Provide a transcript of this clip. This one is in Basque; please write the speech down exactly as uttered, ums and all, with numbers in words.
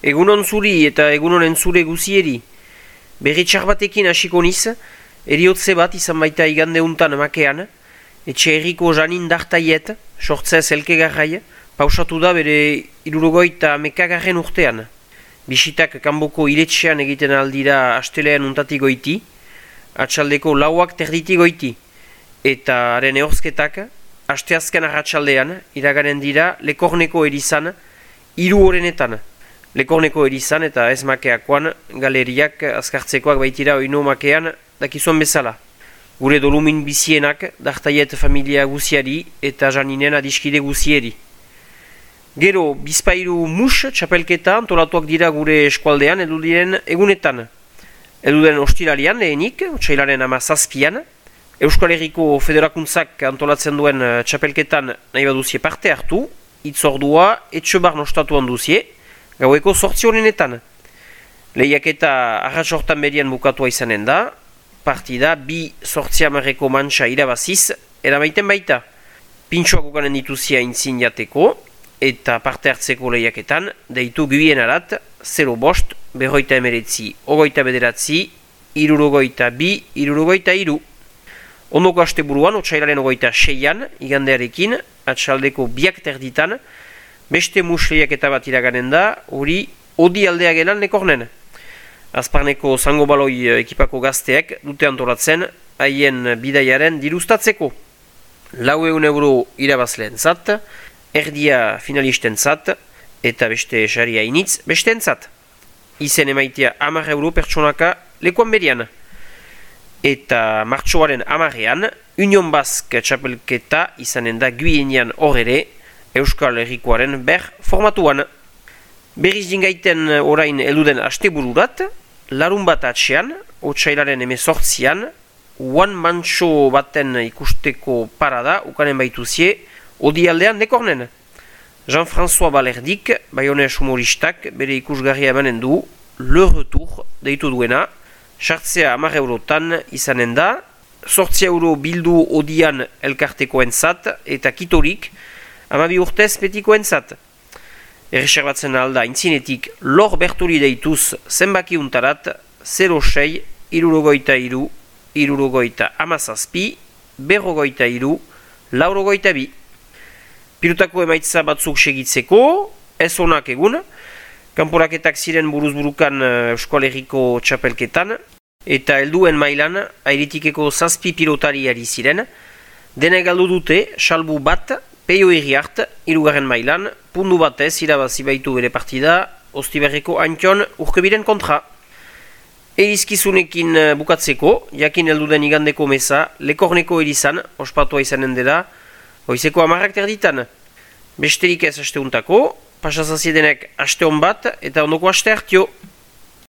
Egunon zuri eta egunon entzule guzieri. Berri txar batekin hasiko niz, eriotze bat izan baita igande untan makean, etxe herriko Janin Dartaiet, sortzez elkegarrai, pausatu da bere irurogoita mekagarren urtean. Bisitak kanboko iretxean egiten aldira astelean untatik goiti, atxaldeko lauak terditi goiti, eta haren ehorzketak, asteazken arratsaldean iraganen dira Lekorneko erizan, hiru horrenetan. Lekorneko erizan eta ez makeakoan galeriak azkartzekoak baitira oino makean dakizuan bezala. Gure dolumin bizienak Dartaiet familia guziari eta Janinen adiskide guzieri. Gero, bizpairu mus txapelketa antolatuak dira gure eskualdean edudiren egunetan. Eduden ostiralian lehenik, otsailaren ama zazpian, Euskal Herriko Federakuntzak antolatzen duen txapelketan nahi baduzie parte hartu, itzordua etxobar nostatuan duzie, gaueko sortzi honenetan. Lehiaketa arratsortan berian bukatua izanen da, partida bi sortzi hamarreko mantxa irabaziz, eramaiten baita. Pintxoak ukanen dituzia intzin jateko, eta parte hartzeko lehiaketan, deitu guien arat, zero bost, berroita emeretzi, ogoita bederatzi, irurogoita bi, irurogoita iru. Ondoko aste buruan, otsailaren ogoita seian, igandearekin, atxaldeko biak terditan, beste mus lehiaketa bat iraganen da, hori odi aldea gelan Lekornen. Azparneko zango baloi ekipako gazteek dute antolatzen, haien bidaiaren diruztatzeko. Lau eun euro irabazleen zat, erdia finalisten zat, eta beste saria initz besteen zat. Izen emaitea hamar euro pertsonaka lekuan berian. Eta martxoaren hamarrean, Union Bask txapelketa izanen da guienean hor ere, Euskal Herrikoaren ber formatuan. Berriz dingaiten orain eluden astebururat, larun bat atxean, otsailaren emezortzian, uan mantxo baten ikusteko parada ukanen baituzie, odi aldean Lekornen. Jean-François Balerdik, baionez humoristak, bere ikusgarria emanen du, Le Retour deitu duena, sartzea hamar eurotan izanen da, sortzi euro bildu odian elkartekoen zat, eta kitorik, hamabi urtez betikoen zat. Erreserbatzen alda intzinetik Lor Berturi deituz zenbaki untarat, zero sei, irurogoita iru, irurogoita amazazpi, berrogoita iru, laurogoita bi. Pilotako emaitza batzuk segitzeko, ez onak egun, kanporaketak ziren buruzburukan Euskal Herriko txapelketan, eta helduen mailan airitikeko zazpi pilotari ari ziren, dene galdu dute, salbu bat, Peio Iriart, irugarren mailan, pundu batez irabazi baitu bere partida, Ostiberreko Antion urkebiren kontra. Erizkizunekin bukatzeko, jakin helduden igandeko meza, Lekorneko erizan, ospatua izanen dela, goizeko hamarrak terditan. Besterik ez asteuntako, pasazaziedenek aste hon bat, eta ondoko aste hartio.